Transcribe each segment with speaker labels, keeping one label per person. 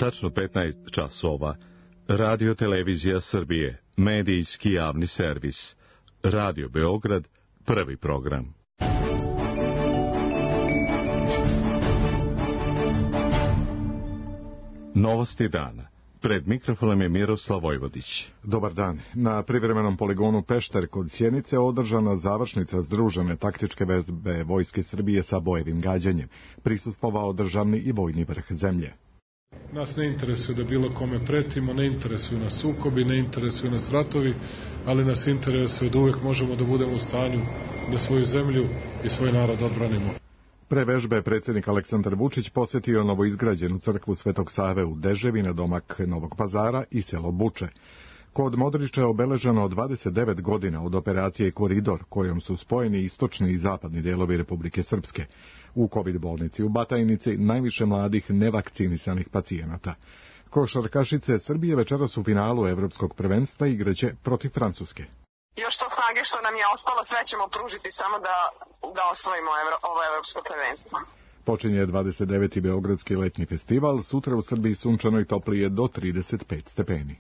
Speaker 1: Tačno 15 časova. Radio Televizija Srbije, medijski javni servis. Radio Beograd, prvi program. Novosti dana. Pred mikrofonom je Miroslav Vojvodić.
Speaker 2: Dobar dan. Na privremenom poligonu Pešter kod Sjenice održana završnica združene taktičke vežbe Vojske Srbije sa bojevim gađanjem. Prisustvovao državni i vojni vrh zemlje.
Speaker 3: Nas ne interesuje da bilo kome pretimo, ne interesuju nas sukobi, ne interesuju nas ratovi, ali nas interesuje da uvek možemo da budemo u stanju da svoju zemlju i svoj narod odbranimo.
Speaker 2: Pre vežbe predsjednik Aleksandar Vučić posjetio novoizgrađenu crkvu Svetog Save u Deževi na domak Novog Pazara i selo Buče. Kod Modriča je obeleženo 29 godina od operacije Koridor, kojom su spojeni istočni i zapadni delovi Republike Srpske. U COVID bolnici u Batajnici najviše mladih nevakcinisanih pacijenata. Košarkašice Srbije večeras u finalu Evropskog prvenstva igraće protiv Francuske.
Speaker 4: Još to snage što nam je ostalo, sve ćemo pružiti samo da osvojimo ovo evropsko prvenstvo.
Speaker 2: Počinje 29. Beogradski letnji festival, sutra u Srbiji sunčano i toplije do 35 stepeni.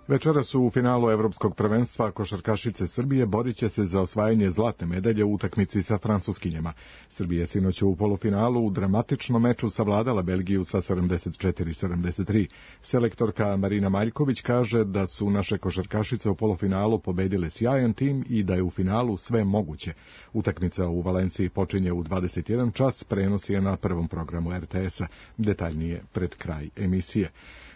Speaker 2: Večeras u finalu Evropskog prvenstva košarkašice Srbije borit će se za osvajanje zlatne medalje u utakmici sa Francuskinjama. Srbija sinoć u polufinalu u dramatičnom meču savladala Belgiju sa 74-73. Selektorka Marina Maljković kaže da su naše košarkašice u polufinalu pobedile sjajan tim i da je u finalu sve moguće. Utakmica u Valenciji počinje u 21 čas, prenos je na prvom programu RTS-a. Detaljnije pred kraj emisije.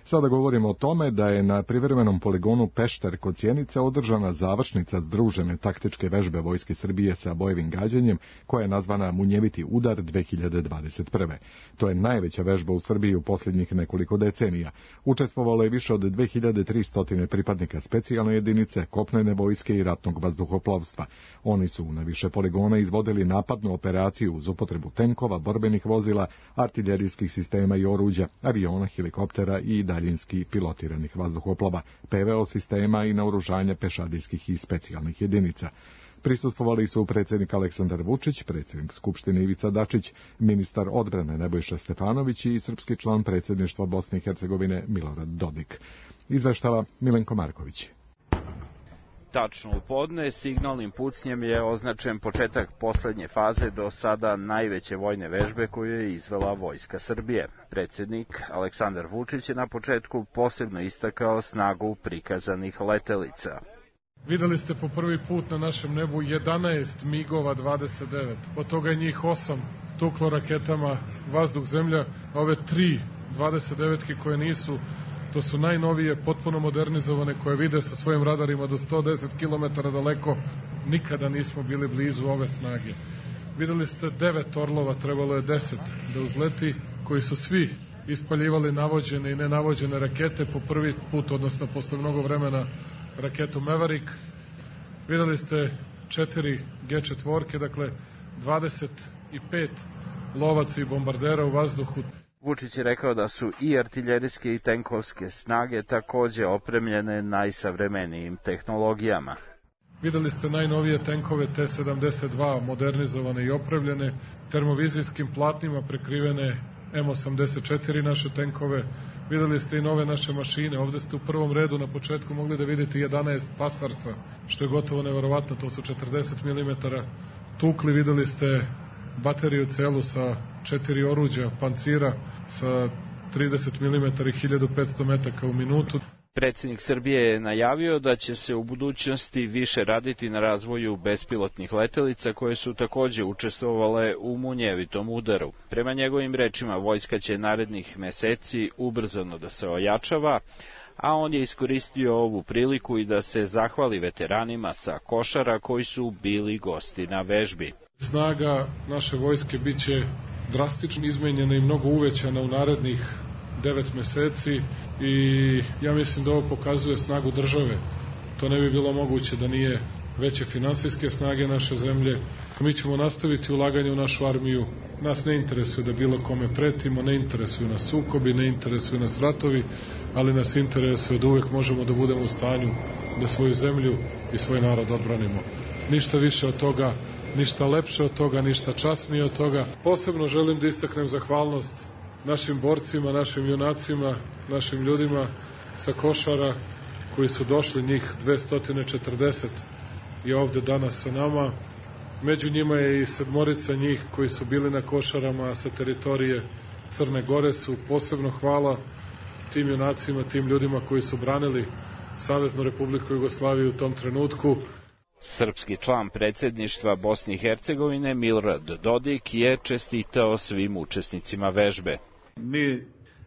Speaker 2: Sada govorimo o tome da je na privremenom poligonu Pešter kod Sjenice održana završnica združene taktičke vežbe Vojske Srbije sa bojevim gađanjem, koja je nazvana Munjeviti udar 2021. To je najveća vežba u Srbiji u posljednjih nekoliko decenija. Učestvovalo je više od 2300 pripadnika specijalne jedinice, kopnene vojske i ratnog vazduhoplovstva. Oni su na više poligona izvodili napadnu operaciju uz upotrebu tenkova, borbenih vozila, artiljerijskih sistema i oruđa, aviona, helikoptera i daljinski pilotiranih vazduhoplova, PVO sistema i naoružanja pešadijskih i specijalnih jedinica. Prisustvovali su predsjednik Aleksandar Vučić, predsjednik Skupštine Ivica Dačić, ministar odbrane Nebojša Stefanović i srpski član predsjedništva Bosne i Hercegovine Milorad Dodik. Izveštava Milenko Marković.
Speaker 5: Tačno u podne signalnim pucnjem je označen početak poslednje faze do sada najveće vojne vežbe koju je izvela Vojska Srbije. Predsjednik Aleksandar Vučić je na početku posebno istakao snagu prikazanih letelica.
Speaker 3: Videli ste po prvi put na našem nebu 11 MiG-ova 29, od toga je njih 8 tuklo raketama vazduh-zemlja, ove 3 29-ke koje nisu. To su najnovije, potpuno modernizovane, koje vide sa svojim radarima do 110 km daleko. Nikada nismo bili blizu ove snage. Videli ste 9 Orlova, trebalo je 10 da uzleti, koji su svi ispaljivali navođene i nenavođene rakete po prvi put, odnosno posle mnogo vremena raketu Maverick. Videli ste 4 G4, dakle 25 lovaca i bombardera u vazduhu.
Speaker 5: Vučić je rekao da su i artiljerijske i tenkovske snage takođe opremljene najsavremenijim tehnologijama.
Speaker 3: Videli ste najnovije tenkove T-72, modernizovane i opremljene, termovizijskim platnima prekrivene M84 naše tenkove. Videli ste i nove naše mašine. Ovde ste u prvom redu na početku mogli da vidite 11 Pasarsa, što je gotovo neverovatno, to su 40 mm tukli. Videli ste bateriju celu sa 4 oruđa, pancira sa 30 mm i 1500 metaka u minutu.
Speaker 5: Predsjednik Srbije je najavio da će se u budućnosti više raditi na razvoju bespilotnih letelica koje su takođe učestvovale u munjevitom udaru. Prema njegovim rečima, vojska će narednih meseci ubrzano da se ojačava, a on je iskoristio ovu priliku i da se zahvali veteranima sa Košara koji su bili gosti na vežbi.
Speaker 3: Snaga naše vojske biće drastično izmenjena i mnogo uvećana u narednih 9 meseci i ja mislim da ovo pokazuje snagu države. To ne bi bilo moguće da nije veće finansijske snage naše zemlje. Mi ćemo nastaviti ulaganje u našu armiju. Nas ne interesuje da bilo kome pretimo, ne interesuju nas sukobi, ne interesuju nas ratovi, ali nas interesuje da uvek možemo da budemo u stanju da svoju zemlju i svoj narod odbranimo. Ništa više od toga, ništa lepše od toga, ništa časnije od toga. Posebno želim da istaknem zahvalnost našim borcima, našim junacima, našim ljudima sa Košara koji su došli, njih 240 i ovde danas sa nama. Među njima je i 7 njih koji su bili na Košarama sa teritorije Crne Gore. Su posebno hvala tim junacima, tim ljudima koji su branili Saveznu Republiku Jugoslaviju u tom trenutku.
Speaker 5: Srpski član predsjedništva Bosne i Hercegovine Milorad Dodik je čestitao svim učesnicima vežbe.
Speaker 6: Mi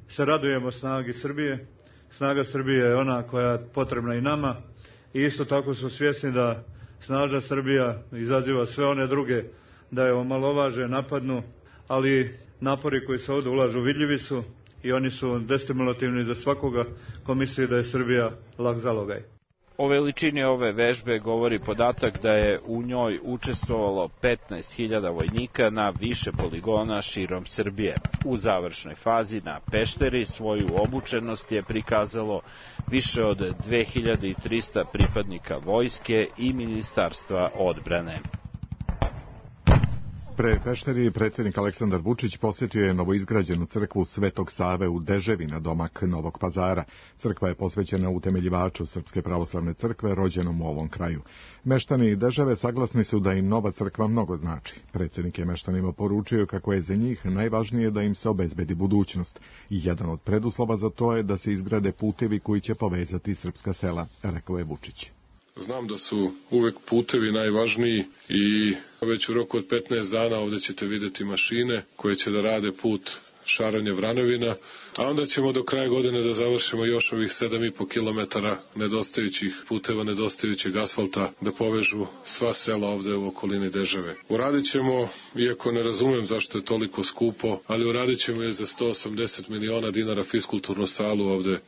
Speaker 6: se radujemo snagi Srbije. Snaga Srbije je ona koja je potrebna i nama. I isto tako smo svjesni da snažna Srbija izaziva sve one druge da je omalovaže, napadnu, ali napori koji se ovdje ulažu vidljivi su i oni su destimulativni za svakoga ko misli da je Srbija lak zalogaj.
Speaker 5: O veličini ove vežbe govori podatak da je u njoj učestvovalo 15.000 vojnika na više poligona širom Srbije. U završnoj fazi na Pešteri svoju obučenost je prikazalo više od 2300 pripadnika vojske i Ministarstva odbrane.
Speaker 2: Pre Pešteri predsjednik Aleksandar Vučić posjetio je novoizgrađenu crkvu Svetog Save u Deževi na domak Novog Pazara. Crkva je posvećena utemeljivaču Srpske pravoslavne crkve rođenom u ovom kraju. Meštani Deževe saglasni su da im nova crkva mnogo znači. Predsjednik je meštanima poručio kako je za njih najvažnije da im se obezbedi budućnost. I jedan od preduslova za to je da se izgrade putevi koji će povezati srpska sela, rekao je Vučić.
Speaker 3: Znam da su uvek putevi najvažniji i već u roku od 15 dana ovdje ćete vidjeti mašine koje će da rade put Šaranje-Vranovina, a onda ćemo do kraja godine da završimo još ovih 7,5 km nedostajućih puteva, nedostajućeg asfalta da povežu sva sela ovdje u okolini Deževe. Uradit ćemo, iako ne razumem zašto je toliko skupo, ali uradit ćemo je za 180 miliona dinara fiskulturnu salu ovdje.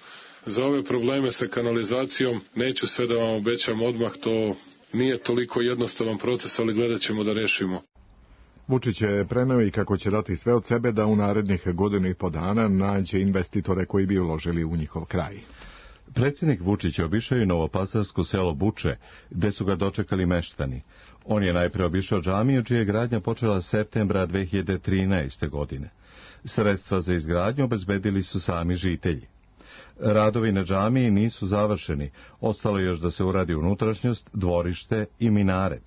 Speaker 3: Za ove probleme sa kanalizacijom neću sve da vam obećam odmah, to nije toliko jednostavan proces, ali gledat ćemo da rešimo.
Speaker 2: Vučić je preneo i kako će dati sve od sebe da u narednih 1,5 godina nađe investitore koji bi uložili u njihov kraj.
Speaker 1: Predsjednik Vučić obišao i novopazarsko selo Buče, gde su ga dočekali meštani. On je najpre obišao džamiju, čija je gradnja počela septembra 2013. godine. Sredstva za izgradnju obezbedili su sami žitelji. Radovi na džamiji nisu završeni, ostalo je još da se uradi unutrašnjost, dvorište i minaret.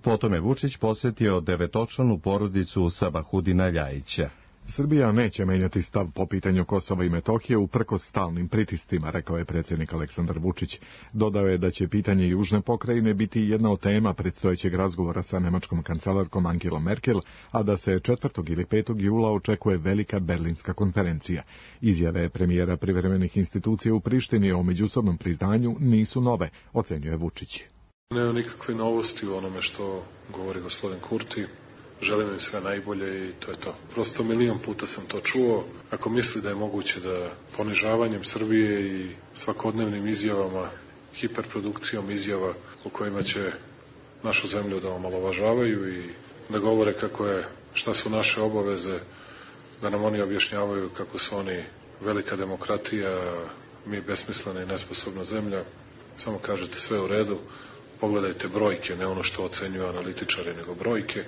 Speaker 1: Potom je Vučić posjetio 9-članu porodicu Sabahudina Ljajića.
Speaker 2: Srbija neće menjati stav po pitanju Kosova i Metohije uprkos stalnim pritiscima, rekao je predsjednik Aleksandar Vučić. Dodao je da će pitanje Južne pokrajine biti jedna od tema predstojećeg razgovora sa nemačkom kancelarkom Angelom Merkel, a da se 4. ili 5. jula očekuje velika berlinska konferencija. Izjave premijera privremenih institucija u Prištini o međusobnom priznanju nisu nove, ocenjuje Vučić.
Speaker 3: Nema nikakve novosti u onome što govori gospodin Kurti. Želim im sve najbolje i to je to. Prosto milion puta sam to čuo. Ako misli da je moguće da ponižavanjem Srbije i svakodnevnim izjavama, hiperprodukcijom izjava u kojima će našu zemlju da omalovažavaju i da govore kako je, šta su naše obaveze, da nam oni objašnjavaju kako su oni velika demokratija, mi besmislena i nesposobna zemlja, samo kažete sve u redu, pogledajte brojke, ne ono što ocenjuju analitičari, nego brojke.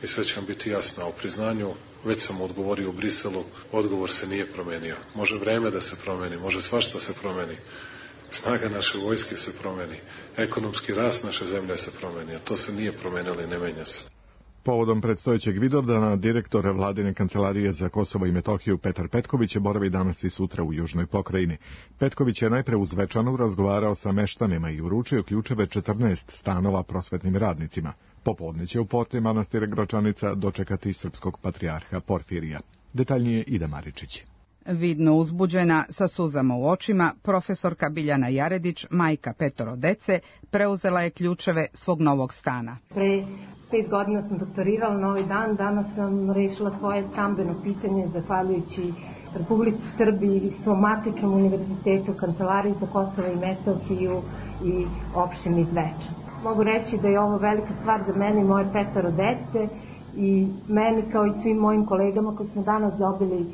Speaker 3: I sve će vam biti jasno. A o priznanju, već sam odgovorio u Briselu, odgovor se nije promenio. Može vreme da se promeni, može svašta se promeni. Snaga naše vojske se promeni. Ekonomski rast naše zemlje se promeni. A to se nije promenilo i ne menja se.
Speaker 2: Povodom predstojećeg Vidovdana, direktor Vladine kancelarije za Kosovo i Metohiju Petar Petković boravi danas i sutra u Južnoj pokrajini. Petković je najpre u Zvečanu razgovarao sa meštanima i uručio ključeve 14 stanova prosvetnim radnicima. Popodne će u porti manastira Gračanica dočekati srpskog patrijarha Porfirija. Detaljnije Ida Maričić.
Speaker 7: Vidno uzbuđena, sa suzama u očima, profesorka Biljana Jaredić, majka 5 dece, preuzela je ključeve svog novog stana.
Speaker 8: Pre 5 godina sam doktorirala na ovaj dan, danas sam rešila svoje stambeno pitanje zahvaljujući Republici Srbiji i svom matičnom univerzitetu, Kancelariji za Kosovo i Metohiju i opštini Zvečan. Mogu reći da je ovo velika stvar za mene i moje 5 dece i meni kao i svim mojim kolegama koji smo danas dobili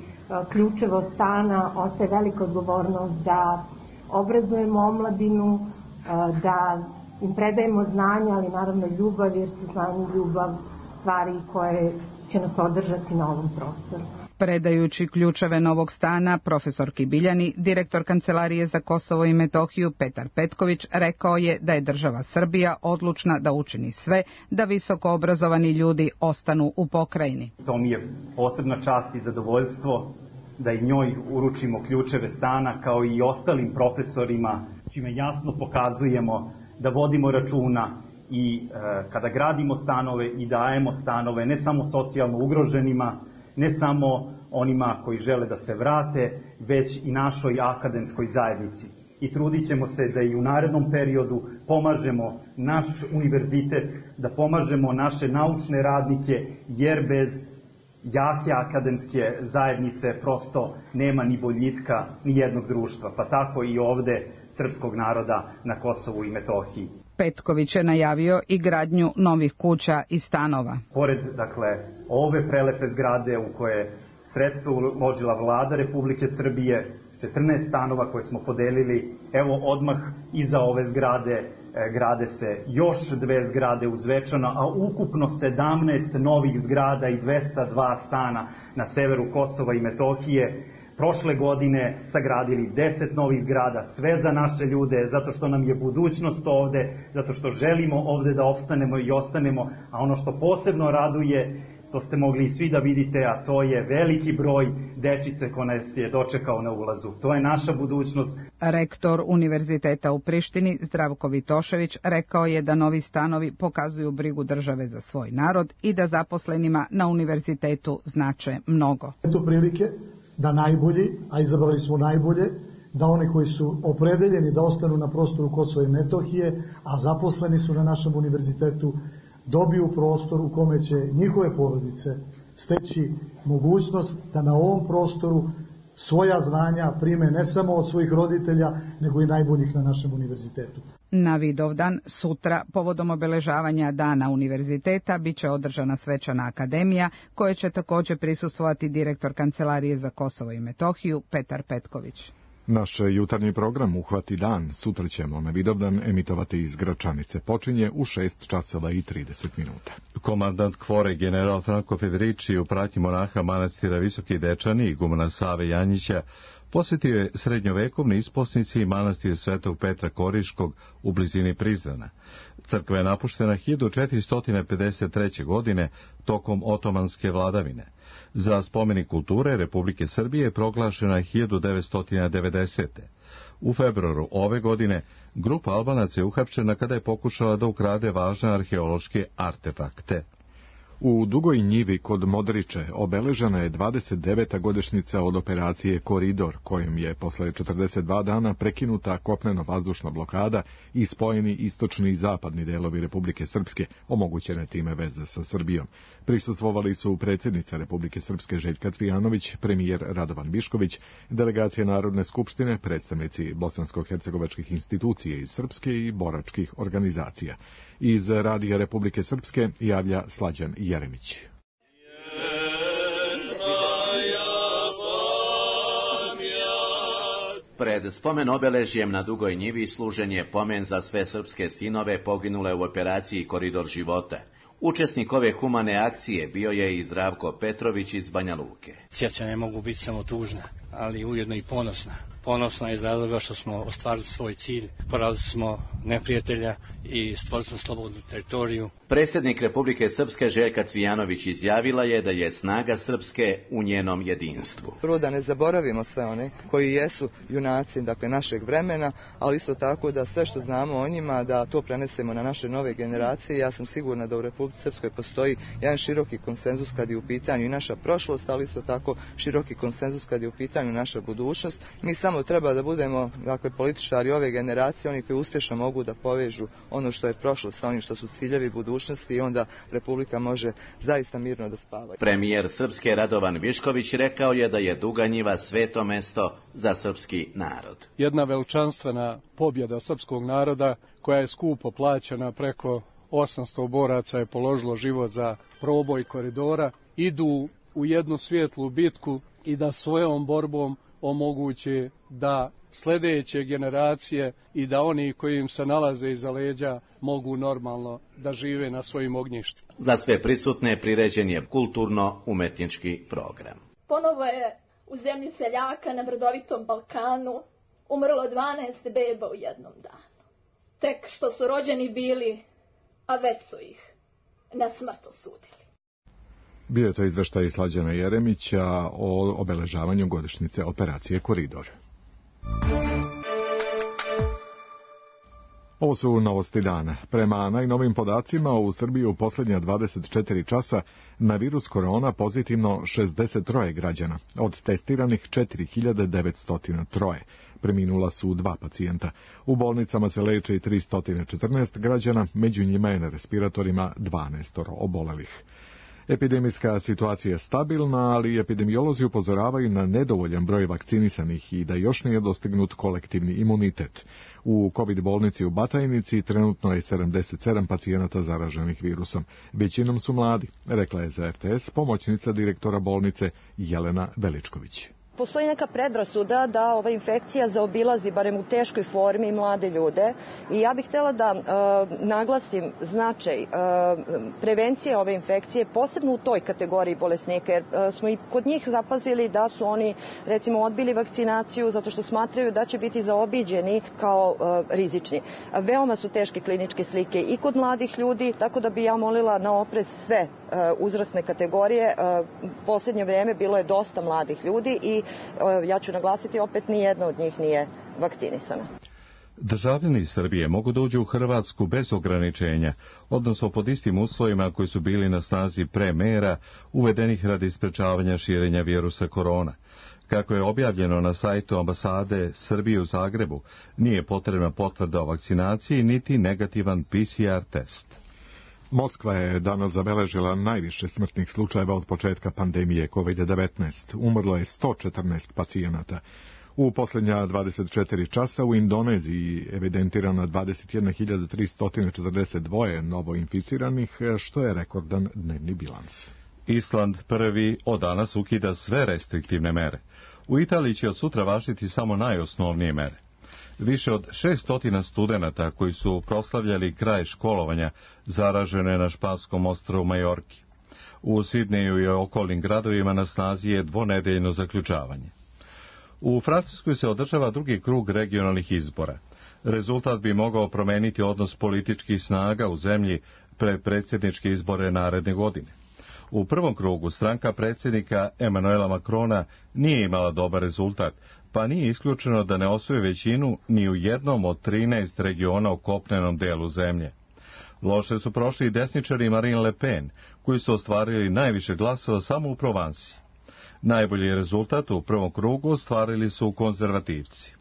Speaker 8: ključeve od stana, ostaje velika odgovornost da obrazujemo omladinu, da im predajemo znanje, ali naravno ljubav, jer su znanje i ljubav stvari koje će nas održati na ovom prostoru.
Speaker 7: Predajući ključeve novog stana, profesor Biljani, direktor Kancelarije za Kosovo i Metohiju Petar Petković, rekao je da je država Srbija odlučna da učini sve da visoko obrazovani ljudi ostanu u pokrajini.
Speaker 9: To mi je posebna čast i zadovoljstvo da i njoj uručimo ključeve stana kao i ostalim profesorima, čime jasno pokazujemo da vodimo računa i kada gradimo stanove i dajemo stanove ne samo socijalno ugroženima, ne samo onima koji žele da se vrate, već i našoj akademskoj zajednici. I trudit ćemo se da i u narednom periodu pomažemo naš univerzitet, da pomažemo naše naučne radnike, jer bez jake akademske zajednice prosto nema ni boljitka ni jednog društva, pa tako i ovde srpskog naroda na Kosovu i Metohiji.
Speaker 7: Petković je najavio i gradnju novih kuća i stanova.
Speaker 9: Pored, ove prelepe zgrade u koje sredstva uložila vlada Republike Srbije, 14 stanova koje smo podelili, evo odmah iza ove zgrade grade se još 2 zgrade u Zvečanu, a ukupno 17 novih zgrada i 202 stana na severu Kosova i Metohije. Prošle godine sagradili 10 novih zgrada, sve za naše ljude, zato što nam je budućnost ovde, zato što želimo ovde da opstanemo i ostanemo, a ono što posebno raduje, to ste mogli i svi da vidite, a to je veliki broj dečice ko nas je dočekao na ulazu. To je naša budućnost.
Speaker 7: Rektor Univerziteta u Prištini, Zdravko Vitošević, rekao je da novi stanovi pokazuju brigu države za svoj narod i da zaposlenima na univerzitetu znače mnogo.
Speaker 10: Eto prilike da najbolji, a izabrali smo najbolje, da oni koji su opredeljeni da ostanu na prostoru Kosova i Metohije, a zaposleni su na našem univerzitetu, dobiju prostor u kome će njihove porodice steći mogućnost da na ovom prostoru svoja znanja prime ne samo od svojih roditelja, nego i najboljih na našem univerzitetu.
Speaker 7: Na Vidovdan, sutra, povodom obeležavanja Dana univerziteta, bit će održana svečana akademija, koje će također prisustvovati direktor Kancelarije za Kosovo i Metohiju, Petar Petković.
Speaker 2: Naš jutarnji program Uhvati dan sutra ćemo na Vidovdan emitovati iz Gračanice. Počinje u 6:30.
Speaker 1: Komandant Kvore general Franko Federici u pratnji monaha manastira Visoki Dečani i igumana Save Janjića posjetio je srednjovekovni isposnici i manastir Svetog Petra Koriškog u blizini Prizrena. Crkva je napuštena 1453. godine tokom otomanske vladavine. Za spomenik kulture Republike Srbije proglašena je 1990. U februaru ove godine grupa Albanaca je uhapšena kada je pokušala da ukrade važne arheološke artefakte.
Speaker 2: U Dugoj Njivi kod Modriče obeležena je 29. godišnjica od operacije Koridor, kojom je posle 42 dana prekinuta kopneno-vazdušna blokada i spojeni istočni i zapadni delovi Republike Srpske, omogućene time veze sa Srbijom. Prisustvovali su predsjednica Republike Srpske Željka Cvijanović, premijer Radovan Višković, delegacije Narodne skupštine, predstavnici bosansko-hercegovačkih institucija iz Srpske i boračkih organizacija. Iz Radija Republike Srpske javlja Slađan Jeremić.
Speaker 11: Pred spomen obeležjem na Dugoj Njivi služen je pomen za sve srpske sinove poginule u operaciji Koridor života. Učesnik ove humane akcije bio je i Zdravko Petrović iz Banja Luke.
Speaker 12: Sjećanja mogu biti samo tužna, ali ujedno i ponosna. Ponosna iz razloga što smo ostvarili svoj cilj, porazili smo neprijatelja i stvorili smo slobodnu teritoriju.
Speaker 11: Predsjednik Republike Srpske Željka Cvijanović izjavila je da je snaga Srpske u njenom jedinstvu.
Speaker 13: Prvo da ne zaboravimo sve one koji jesu junaci, našeg vremena, ali isto tako da sve što znamo o njima, da to prenesemo na naše nove generacije. Ja sam sigurna da u Republici Srpskoj postoji jedan široki konsenzus kad je u pitanju i naša prošlost, ali isto tako široki konsenzus kad je u pitanju naša budućnost. Mi samo treba da budemo političari ove generacije, oni koji uspješno mogu da povežu ono što je prošlo sa onim što su ciljevi budućnosti i onda Republika može zaista mirno da spava.
Speaker 11: Premijer Srpske Radovan Višković rekao je da je Duga Njiva sveto mesto za srpski narod.
Speaker 14: Jedna veličanstvena pobjeda srpskog naroda koja je skupo plaćena, preko 800 boraca je položilo život za proboj koridora, idu u jednu svijetlu bitku i da svojom borbom omogući da sljedeće generacije i da oni koji im se nalaze iza leđa mogu normalno da žive na svojim ognjištima.
Speaker 11: Za sve prisutne priređen je kulturno-umetnički program.
Speaker 15: Ponovo je u zemlji seljaka na brdovitom Balkanu umrlo 12 beba u jednom danu. Tek što su rođeni bili, a već su ih na smrt osudili.
Speaker 2: Bio je to izveštaj Slađana Jeremića o obeležavanju godišnjice operacije Koridor. Ovo su novosti dana. Prema najnovim podacima u Srbiji u posljednja 24 časa na virus korona pozitivno 63 građana, od testiranih 4903. Preminula su 2 pacijenta. U bolnicama se leče i 314 građana, među njima je na respiratorima 12 obolelih. Epidemijska situacija je stabilna, ali epidemiolozi upozoravaju na nedovoljan broj vakcinisanih i da još nije dostignut kolektivni imunitet. U COVID bolnici u Batajnici trenutno je 77 pacijenata zaraženih virusom. Većinom su mladi, rekla je za RTS pomoćnica direktora bolnice Jelena Veličković.
Speaker 16: Postoji neka predrasuda da ova infekcija zaobilazi, barem u teškoj formi, mlade ljude i ja bih htjela da naglasim značaj prevencije ove infekcije, posebno u toj kategoriji bolesnika, jer smo i kod njih zapazili da su oni, recimo, odbili vakcinaciju zato što smatraju da će biti zaobiđeni kao rizični. Veoma su teške kliničke slike i kod mladih ljudi, tako da bi ja molila na oprez sve uzrasne kategorije. Posljednje vrijeme bilo je dosta mladih ljudi i ja ću naglasiti opet, nijedna od njih nije vakcinisana.
Speaker 1: Državljani Srbije mogu da uđu u Hrvatsku bez ograničenja, odnosno pod istim uslovima koji su bili na snazi pre mera uvedenih radi sprečavanja širenja virusa korona. Kako je objavljeno na sajtu ambasade Srbije u Zagrebu, nije potrebna potvrda o vakcinaciji niti negativan PCR test.
Speaker 2: Moskva je danas zabeležila najviše smrtnih slučajeva od početka pandemije COVID-19. Umrlo je 114 pacijenata. U posljednja 24 časa u Indoneziji evidentirano 21.342 novoinficiranih, što je rekordan dnevni bilans.
Speaker 1: Island prvi od danas ukida sve restriktivne mere. U Italiji će od sutra važiti samo najosnovnije mere. Više od 600 studenata koji su proslavljali kraj školovanja zaraženo je na španskom ostrvu Majorki. U Sidneju i okolnim gradovima na snazi je dvonedeljno zaključavanje. U Francuskoj se održava drugi krug regionalnih izbora. Rezultat bi mogao promeniti odnos političkih snaga u zemlji pred predsjedničke izbore naredne godine. U prvom krugu stranka predsjednika Emanuela Macrona nije imala dobar rezultat, pa nije isključeno da ne osvoji većinu ni u jednom od 13 regiona u kopnenom delu zemlje. Loše su prošli i desničari Marine Le Pen, koji su ostvarili najviše glasova samo u Provansi. Najbolji rezultat u prvom krugu ostvarili su konzervativci.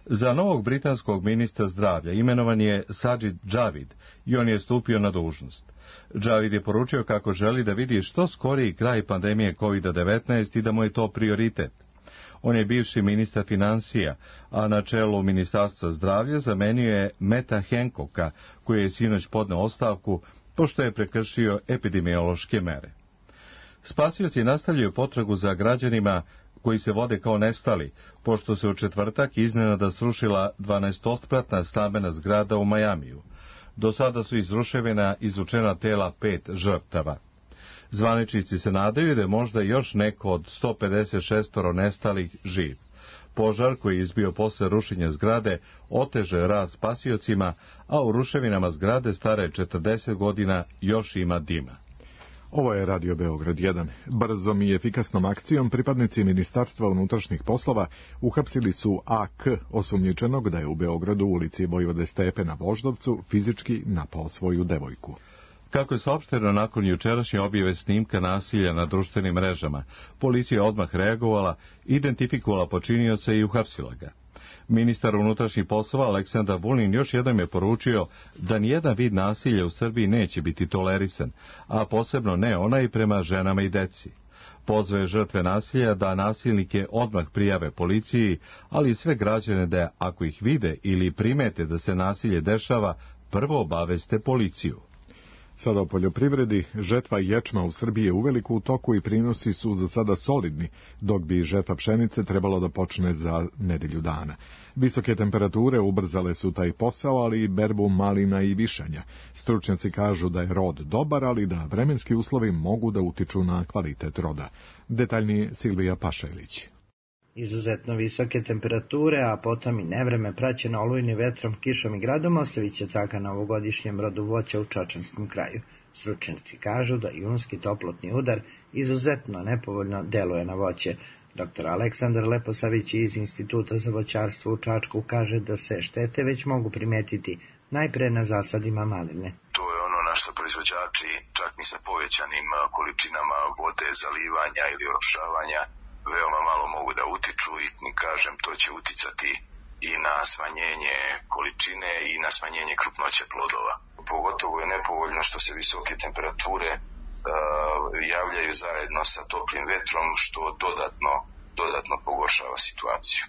Speaker 1: Za novog britanskog ministra zdravlja imenovan je Sajid Javid i on je stupio na dužnost. Javid je poručio kako želi da vidi što skoriji kraj pandemije COVID-19 i da mu je to prioritet. On je bivši ministar financija, a na čelu Ministarstva zdravlja zamenio je Meta Hancocka, koji je sinoć podneo ostavku pošto je prekršio epidemiološke mere. Spasioci nastavljaju potragu za građanima koji se vode kao nestali, pošto se u četvrtak iznenada srušila 12-spratna stambena zgrada u Majamiju. Do sada su iz ruševina izvučena tela 5 žrtava. Zvaničnici se nadaju da je možda još neko od 156 nestalih živ. Požar koji je izbio posle rušenja zgrade oteže rad spasiocima, a u ruševinama zgrade stare 40 godina još ima dima.
Speaker 2: Ovo je Radio Beograd 1. Brzom i efikasnom akcijom pripadnici Ministarstva unutrašnjih poslova uhapsili su AK, osumnjičenog da je u Beogradu u ulici Vojvode Stepe na Voždovcu fizički napao svoju devojku.
Speaker 1: Kako je saopšteno nakon jučerašnje objave snimka nasilja na društvenim mrežama, policija je odmah reagovala, identifikovala počinioca i uhapsila ga. Ministar unutrašnjih poslova Aleksandar Vulin još jednom je poručio da nijedan vid nasilja u Srbiji neće biti tolerisan, a posebno ne onaj prema ženama i deci. Pozvao je žrtve nasilja da nasilnike odmah prijave policiji, ali i sve građane da, ako ih vide ili primete da se nasilje dešava, prvo obaveste policiju.
Speaker 2: Sada o poljoprivredi. Žetva ječma u Srbiji je uveliko u toku i prinosi su za sada solidni, dok bi žetva pšenice trebalo da počne za nedelju dana. Visoke temperature ubrzale su taj posao, ali i berbu malina i višanja. Stručnjaci kažu da je rod dobar, ali da vremenski uslovi mogu da utiču na kvalitet roda. Detaljnije Silvija Pašajlić.
Speaker 17: Izuzetno visoke temperature, a potom i nevreme praćeno olujnim vetrom, kišom i gradom ostavit će traga na ovogodišnjem rodu voća u Čačanskom kraju. Stručnjaci kažu da junski toplotni udar izuzetno nepovoljno deluje na voće. Dr. Aleksandar Leposavić iz Instituta za voćarstvo u Čačku kaže da se štete već mogu primetiti najpre na zasadima maline.
Speaker 18: To je ono na što proizvođači čak ni sa povećanim količinama vode, zalivanja ili orošavanja veoma malo mogu da utiču i kažem to će uticati i na smanjenje količine i na smanjenje krupnoće plodova. Pogotovo je nepovoljno što se visoke temperature javljaju zajedno sa toplim vetrom što dodatno pogoršava situaciju.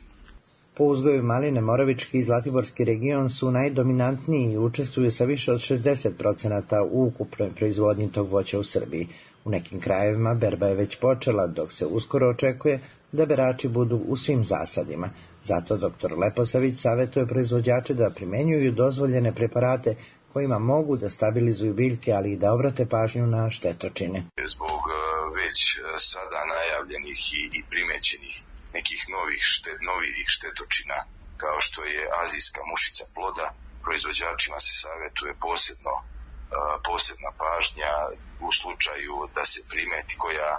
Speaker 17: Po uzgoju maline Moravički i Zlatiborski region su najdominantniji i učestvuju sa više od 60% u ukupnoj proizvodnji tog voća u Srbiji. U nekim krajevima berba je već počela, dok se uskoro očekuje da berači budu u svim zasadima. Zato dr. Leposavić savjetuje proizvođače da primenjuju dozvoljene preparate kojima mogu da stabilizuju biljke, ali i da obrate pažnju na štetočine.
Speaker 18: Zbog već sada najavljenih i primećenih nekih novih štetočina, kao što je azijska mušica ploda, proizvođačima se savjetuje posebna pažnja u slučaju da se primeti koja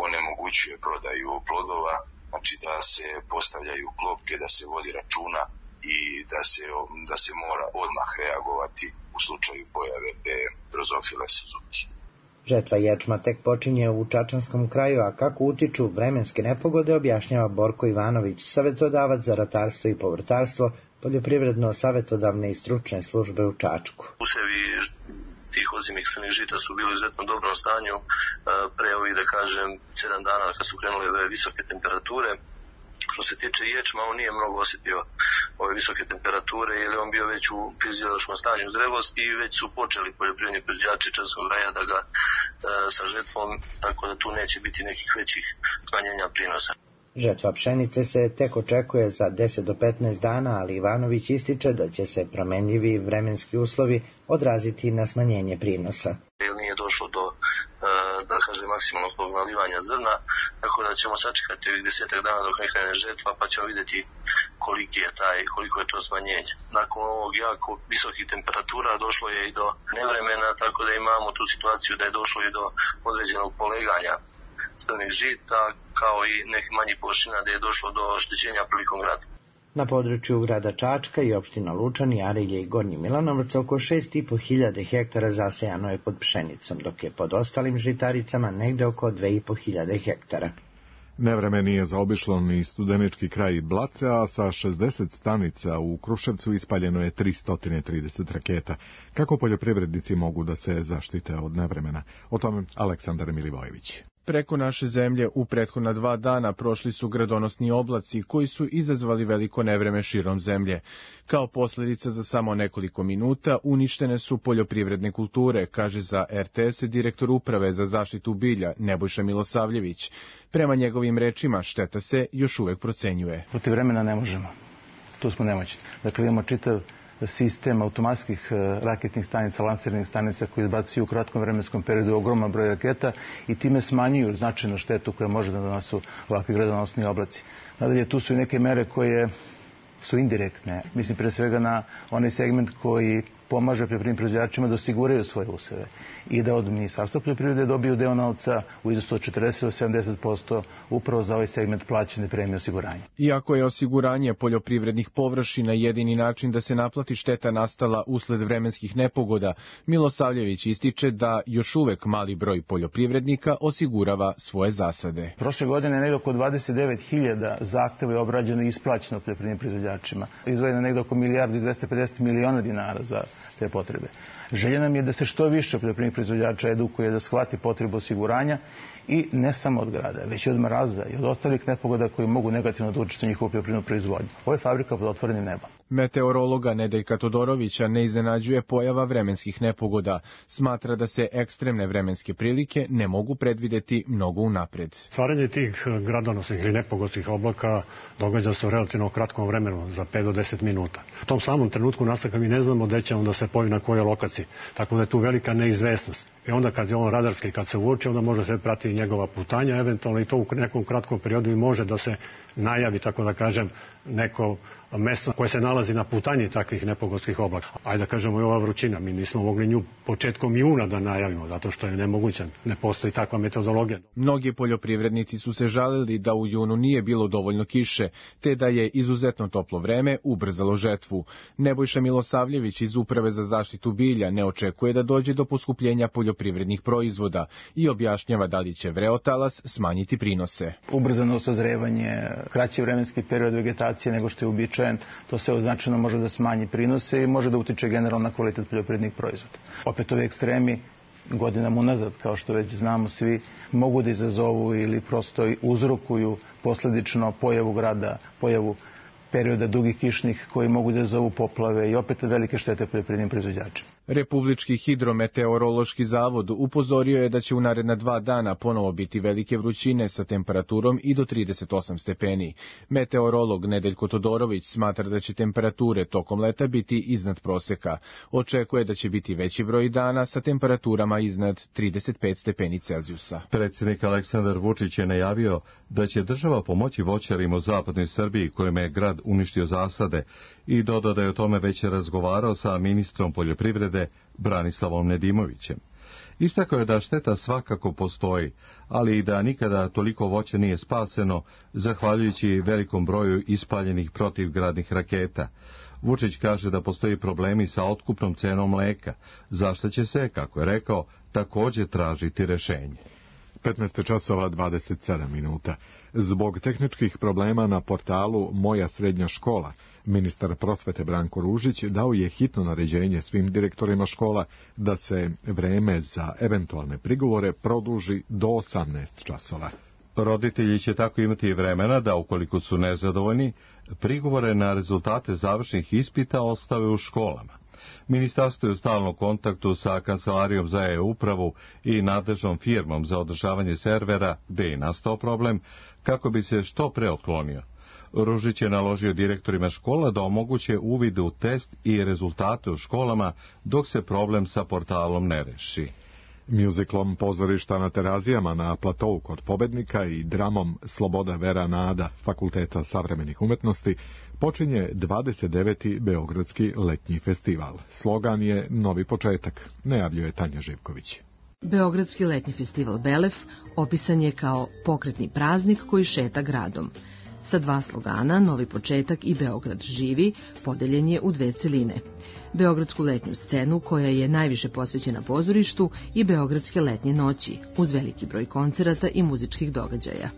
Speaker 18: onemogućuje prodaju plodova, znači da se postavljaju klopke, da se vodi računa i da se mora odmah reagovati u slučaju pojave te drozofile Suzuki.
Speaker 17: Žetva ječma tek počinje u Čačanskom kraju, a kako utiču vremenske nepogode objašnjava Borko Ivanović, savjetodavac za ratarstvo i povrtarstvo, poljoprivredno-savjetodavne i stručne službe u Čačku.
Speaker 19: Usevi tih ozimih crnih žita su bili u izuzetno dobrom stanju pre ovih, da kažem, 7 dana kad su krenule ove visoke temperature. Što se tiče ječma, on nije mnogo osjetio ove visoke temperature, jer je on bio već u fiziološkom stanju zrelosti i već su počeli poljoprivredni proizvođači Čačanskog kraja da ga sa žetvom, tako da tu neće biti nekih većih smanjenja prinosa.
Speaker 17: Žetva pšenice se tek očekuje za 10 do 15 dana, ali Ivanović ističe da će se promenljivi vremenski uslovi odraziti na smanjenje prinosa.
Speaker 19: Nije došlo do maksimalnog nalivanja zrna, tako da ćemo sačekati ovih 10 dana dok ne krene žetva, pa ćemo vidjeti koliko je to smanjenje. Nakon ovog jako visokih temperatura došlo je i do nevremena, tako da imamo tu situaciju da je došlo i do određenog poleganja crnih žita, kao i nekih manjih površina da je došlo do oštećenja prilikom grada.
Speaker 17: Na području grada Čačka i opština Lučani, Arilje i Gornji Milanovac oko 6.500 hektara zasejano je pod pšenicom, dok je pod ostalim žitaricama negde oko 2.500 hektara.
Speaker 2: Nevreme nije zaobišlo ni studenički kraj Blace, a sa 60 stanica u Kruševcu ispaljeno je 330 raketa. Kako poljoprivrednici mogu da se zaštite od nevremena? O tome Aleksandar Milivojević.
Speaker 20: Preko naše zemlje u prethodna 2 dana prošli su gradonosni oblaci koji su izazvali veliko nevreme širom zemlje. Kao posljedica za samo nekoliko minuta uništene su poljoprivredne kulture, kaže za RTS direktor uprave za zaštitu bilja Nebojša Milosavljević. Prema njegovim rečima šteta se još uvek procenjuje.
Speaker 21: Protiv vremena ne možemo. Tu smo nemoćni. Dakle, imamo čitav sistem automatskih raketnih stanica, lansirnih stanica koji izbacuju u kratkom vremenskom periodu ogroman broj raketa i time smanjuju značajno štetu koja može da donosu ovakvi gradonosni oblaci. Nadalje, tu su i neke mere koje su indirektne. Mislim pre svega na onaj segment koji pomaže poljoprivrednim proizvođačima da osiguraju svoje useve i da od Ministarstva poljoprivrede dobiju deo novca u iznosu od 40 do 70% upravo za ovaj segment plaćene premije osiguranja.
Speaker 20: Iako je osiguranje poljoprivrednih površina jedini način da se naplati šteta nastala usled vremenskih nepogoda, Milosavljević ističe da još uvek mali broj poljoprivrednika osigurava svoje zasade.
Speaker 21: Prošle godine je negdje oko 29.000 zahteva je obrađeno i isplaćeno poljoprivrednim proizvođačima. Izdvojeno negdje oko 1.250 miliona dinara za te potrebe. Želja nam je da se što više poljoprivrednih proizvođača edukuje, da shvati potrebu osiguranja i ne samo od grada, već i od mraza i od ostalih nepogoda koji mogu negativno da utiču na njihovu poljoprivrednu proizvodnju. Ovo je fabrika pod otvorenim nebom.
Speaker 20: Meteorologa Nedeljka Todorovića ne iznenađuje pojava vremenskih nepogoda. Smatra da se ekstremne vremenske prilike ne mogu predvideti mnogo unapred.
Speaker 4: Stvaranje tih gradonosnih ili nepogodskih oblaka događa se u relativno kratkom vremenu, za 5 do 10 minuta. U tom samom trenutku nastanka mi ne znamo gde će on da se pojavi na kojoj lokaciji, tako da je tu velika neizvesnost. I onda kad je on radarski, kad se uoči, onda može se pratiti njegova putanja, eventualno i to u nekom kratkom periodu i može da se najavi, tako da kažem, neko mesto koje se nalazi na putanji takvih nepogodskih oblaka. Ajde da kažemo i ova vrućina, mi nismo mogli nju početkom juna da najavimo, zato što je nemoguće, ne postoji takva metodologija.
Speaker 20: Mnogi poljoprivrednici su se žalili da u junu nije bilo dovoljno kiše, te da je izuzetno toplo vreme ubrzalo žetvu. Nebojša Milosavljević iz Uprave za zaštitu bilja ne očekuje da dođe do poskupljenja poljoprivrednih proizvoda i objašnjava da li će vreotalas smanjiti prinose.
Speaker 21: Ubrzano sazrevanje, kraći vremenski period vegetacije nego što je uobičajen, to se značajno može da smanji prinose i može da utiče generalno na kvalitet poljoprivrednih proizvoda. Opet ovi ekstremi godinama unazad, kao što već znamo svi, mogu da izazovu ili prosto uzrokuju posledično pojavu grada, pojavu perioda dugih kišnih koji mogu da izazovu poplave i opet velike štete poljoprivrednim proizvođačima.
Speaker 20: Republički hidrometeorološki zavod upozorio je da će u naredna 2 dana ponovo biti velike vrućine sa temperaturom i do 38 stepeni. Meteorolog Nedeljko Todorović smatra da će temperature tokom leta biti iznad proseka. Očekuje da će biti veći broj dana sa temperaturama iznad 35 stepeni Celzijusa.
Speaker 1: Predsjednik Aleksandar Vučić je najavio da će država pomoći voćarima u zapadnoj Srbiji kojima je grad uništio zasade i dodao da je o tome već razgovarao sa ministrom poljoprivrede Branislavom Nedimovićem. Istakao je da šteta svakako postoji, ali i da nikada toliko voća nije spaseno, zahvaljujući velikom broju ispaljenih protivgradnih raketa. Vučić kaže da postoji problemi sa otkupnom cenom mleka, za što će se, kako je rekao, također tražiti rešenje.
Speaker 2: 15 časova 27 minuta. Zbog tehničkih problema na portalu Moja srednja škola, ministar prosvete Branko Ružić dao je hitno naređenje svim direktorima škola da se vreme za eventualne prigovore produži do 18 časova.
Speaker 1: Roditelji će tako imati vremena da, ukoliko su nezadovoljni, prigovore na rezultate završnih ispita ostave u školama. Ministarstvo je u stalnom kontaktu sa Kancelarijom za e-upravu i nadležnom firmom za održavanje servera, gde je nastao problem, kako bi se što pre otklonio. Ružić je naložio direktorima škola da omoguće uvid u test i rezultate u školama dok se problem sa portalom ne reši.
Speaker 2: Mjuziklom Pozorišta na Terazijama na platovu kod Pobednika i dramom Sloboda Vera Nada Fakulteta savremenih umetnosti počinje 29. Beogradski letnji festival. Slogan je Novi početak, najavljuje Tanja Živković.
Speaker 22: Beogradski letnji festival Belef opisan je kao pokretni praznik koji šeta gradom. Sa 2 slogana, Novi početak i Beograd živi, podeljen je u 2 celine. Beogradsku letnju scenu, koja je najviše posvećena pozorištu, i Beogradske letnje noći, uz veliki broj koncerata i muzičkih događaja.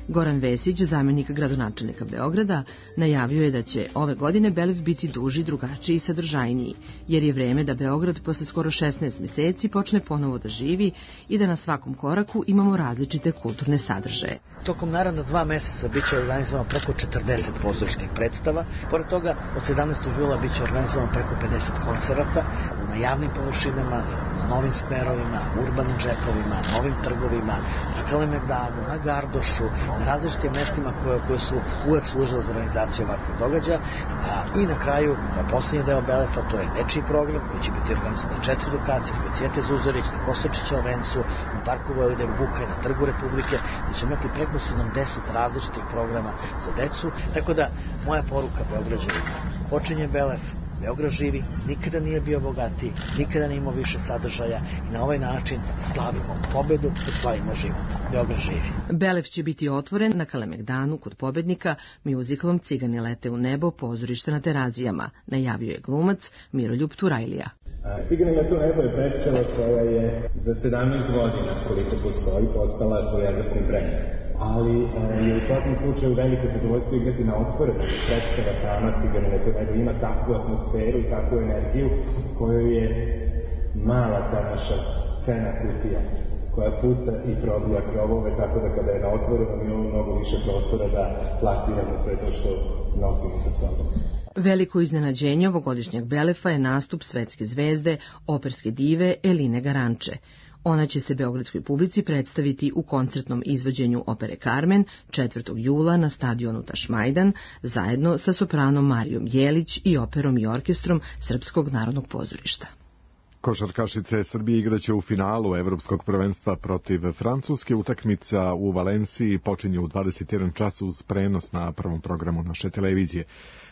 Speaker 22: Goran Vesić, zamjenik gradonačelnika Beograda, najavio je da će ove godine Belef biti duži, drugačiji i sadržajniji, jer je vreme da Beograd posle skoro 16 meseci počne ponovo da živi i da na svakom koraku imamo različite kulturne sadržaje.
Speaker 23: Tokom naredna 2 meseca biće organizovano preko 40 pozorišnih predstava. Pored toga, od 17. jula biće organizovano preko 50 koncerata na javnim površinama, na novim skverovima, urbanim džepovima, novim trgovima, na Kalemegdanu, na Gardošu, na različitim mestima koje su uvek služile za organizaciju ovakvih događaja. I na kraju, kao posljednji deo Belefa, to je dečiji program koji će biti organizovan na 4 lokacije, kod Cvijete Zuzorić, na Kostočića vencu, na Parku Vojvode Vuka i na Trgu Republike, gde će imati preko 70 različitih programa za decu. Tako da, moja poruka Beograđanima, počinje Belef, Beograd živi, nikada nije bio bogatiji, nikada nije imao više sadržaja i na ovaj način slavimo pobedu i slavimo život. Beograd živi.
Speaker 22: Belef će biti otvoren na Kalemegdanu kod Pobednika mjuziklom Cigani lete u nebo pozorišta na Terazijama, najavio je glumac Miroljub Turajlija.
Speaker 24: Cigani lete u nebo je predstava koja je za 17 godina koliko postoji postala sa evropskim brendom. Ali je u svakom slučaju veliko zadovoljstvo igrati na otvorenom. Predstava sama Cigani lete u nebo ima takvu atmosferu i takvu energiju koju je mala ta naša fena kutija koja puca i probija krovove, tako da kada je na otvorenom imamo mnogo više prostora da plastiramo sve to što nosimo sa sobom.
Speaker 22: Veliko iznenađenje ovogodišnjeg Belefa je nastup svetske zvezde, operske dive Eline Garanče. Ona će se beogradskoj publici predstaviti u koncertnom izvođenju opere Carmen 4. jula na stadionu Tašmajdan, zajedno sa sopranom Marijom Jelić i operom i orkestrom Srpskog narodnog pozorišta.
Speaker 2: Košarkašice Srbije igraće u finalu Evropskog prvenstva protiv Francuske. Utakmica u Valenciji počinje u 21 čas uz prenos na prvom programu naše televizije.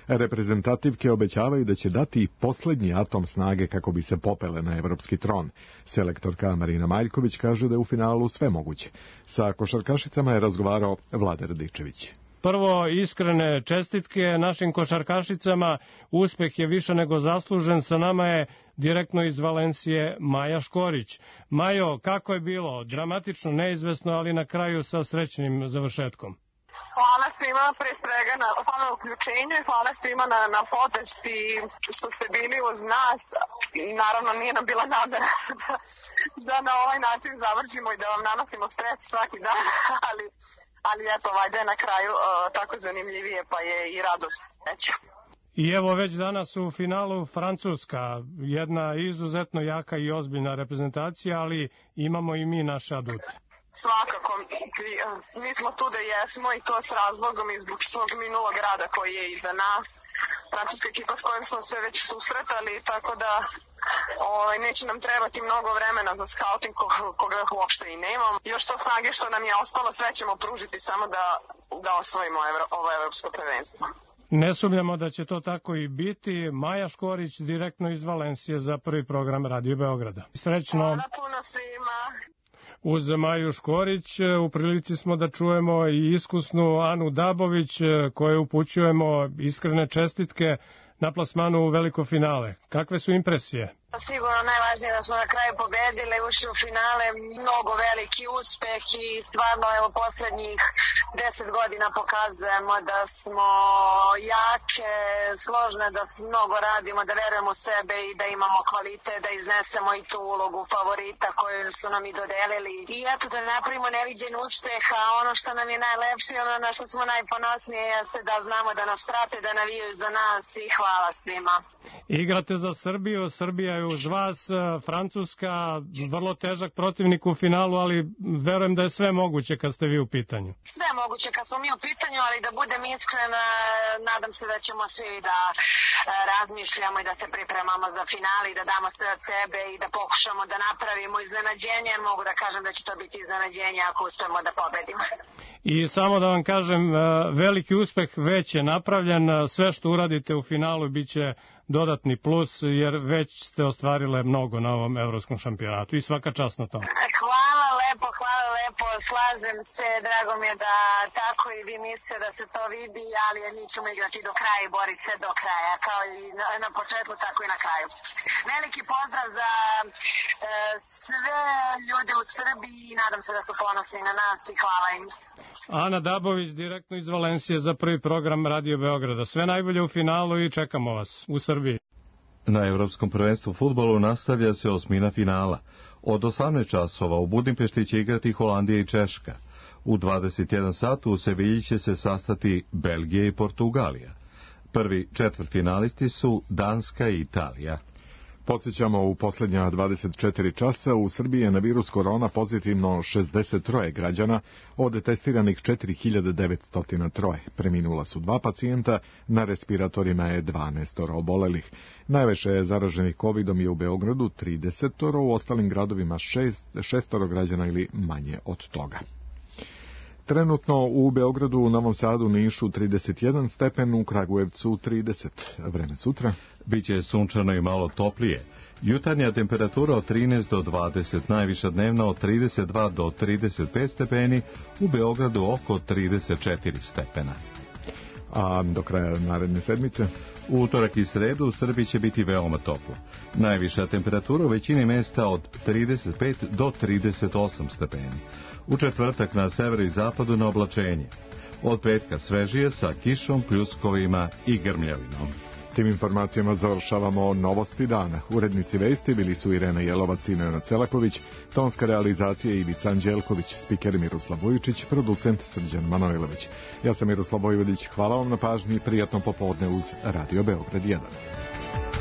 Speaker 2: Reprezentativke obećavaju da će dati poslednji atom snage kako bi se popele na evropski tron. Selektorka Marina Maljković kaže da je u finalu sve moguće. Sa košarkašicama je razgovarao Vlada Radičević.
Speaker 3: Prvo, iskrene čestitke našim košarkašicama, uspeh je više nego zaslužen, sa nama je direktno iz Valencije Maja Škorić. Majo, kako je bilo? Dramatično, neizvesno, ali na kraju sa srećnim završetkom.
Speaker 5: Hvala svima pre svega hvala na uključenju i hvala svima na podršci što ste bili uz nas. I naravno nije nam bila namera da na ovaj način završimo i da vam nanosimo stres svaki dan, ali eto, valjda je na kraju tako zanimljivije, pa je i radost veća.
Speaker 3: I evo već danas u finalu Francuska, jedna izuzetno jaka i ozbiljna reprezentacija, ali imamo i mi naše adute.
Speaker 5: Svakako, mi smo tu da jesmo i to s razlogom i zbog svog minulog rada koji je iza nas. Francuska ekipa s kojom smo se već susretali, tako da neće nam trebati mnogo vremena za skauting koga uopšte i nemam. Još to snage što nam je ostalo, sve ćemo pružiti samo da osvojimo ovo evropsko prvenstvo.
Speaker 3: Ne sumnjamo da će to tako i biti. Maja Škorić direktno iz Valencije za prvi program Radio Beograda. Srećno.
Speaker 5: Hvala puno svima.
Speaker 3: Uz Maju Škorić u prilici smo da čujemo i iskusnu Anu Dabović, koje upućujemo iskrene čestitke na plasmanu u veliko finale. Kakve su impresije?
Speaker 5: Sigurno najvažnije da smo na kraju pobedile, ušli u finale, mnogo veliki uspeh i stvarno evo poslednjih 10 godina pokazujemo da smo jake, složne, da mnogo radimo, da verujemo u sebe i da imamo kvalitet, da iznesemo i tu ulogu favorita koju su nam i dodelili. I eto da napravimo neviđen uspeh, a ono što nam je najlepše, ono na što smo najponosnije jeste da znamo da nas prate, da navijaju za nas i hvala svima.
Speaker 3: Igrate za Srbiju, Srbija je uz vas, Francuska, vrlo težak protivnik u finalu, ali verujem da je sve moguće kad ste vi u pitanju.
Speaker 5: Sve moguće kad smo mi u pitanju, ali da budem iskrena, nadam se da ćemo svi da razmišljamo i da se pripremamo za finale i da damo sve od sebe i da pokušamo da napravimo iznenađenje. Mogu da kažem da će to biti iznenađenje ako uspemo da pobedimo.
Speaker 3: I samo da vam kažem, veliki uspeh već je napravljen, sve što uradite u finalu biće dodatni plus, jer već ste ostvarile mnogo na ovom evropskom šampionatu i svaka čast na tom.
Speaker 5: Hvala lepo, slažem se, drago mi je da tako i vi mislite da se to vidi, ali mi ćemo igrati do kraja i boriti se do kraja, kao i na početku, tako i na kraju. Veliki pozdrav za sve ljude u Srbiji i nadam se da su ponosni na nas i hvala im.
Speaker 3: Ana Dabović, direktno iz Valencije za prvi program Radio Beograda. Sve najbolje u finalu i čekamo vas u Srbiji.
Speaker 1: Na Evropskom prvenstvu fudbalu nastavlja se osmina finala. Od 18 časova u Budimpešti će igrati Holandija i Češka. U 21 satu u Sevilji će se sastati Belgija i Portugalija. Prvi četvrtfinalisti su Danska i Italija.
Speaker 2: Podsjećamo, u posljednja 24 časa u Srbiji je na virus korona pozitivno 63 građana, od testiranih 4903. Preminula su 2 pacijenta, na respiratorima je 12 obolelih. Najviše zaraženih covidom je u Beogradu 30, u ostalim gradovima 6 građana ili manje od toga. Trenutno u Beogradu, Novom Sadu, Nišu 31 stepen, u Kragujevcu 30. Vreme sutra.
Speaker 1: Biće sunčano i malo toplije. Jutarnja temperatura od 13 do 20, najviša dnevna od 32 do 35 stepeni, u Beogradu oko 34 stepena.
Speaker 2: A do kraja naredne sedmice?
Speaker 1: U utorak i sredu u Srbiji će biti veoma toplo. Najviša temperatura u većini mesta od 35 do 38 stepeni. U četvrtak na severu i zapadu na oblačenje. Od petka svežije sa kišom, pljuskovima i grmljavinom.
Speaker 2: Tim informacijama završavamo novosti dana. Urednici vesti bili su Irena Jelovac i Nenad Celaković, tonska realizacija Ivica Anđelković, spiker Miroslav Vujičić, producent Srđan Manojlović. Ja sam Miroslav Vojvodić, hvala vam na pažnji i prijatno popodne uz Radio Beograd 1.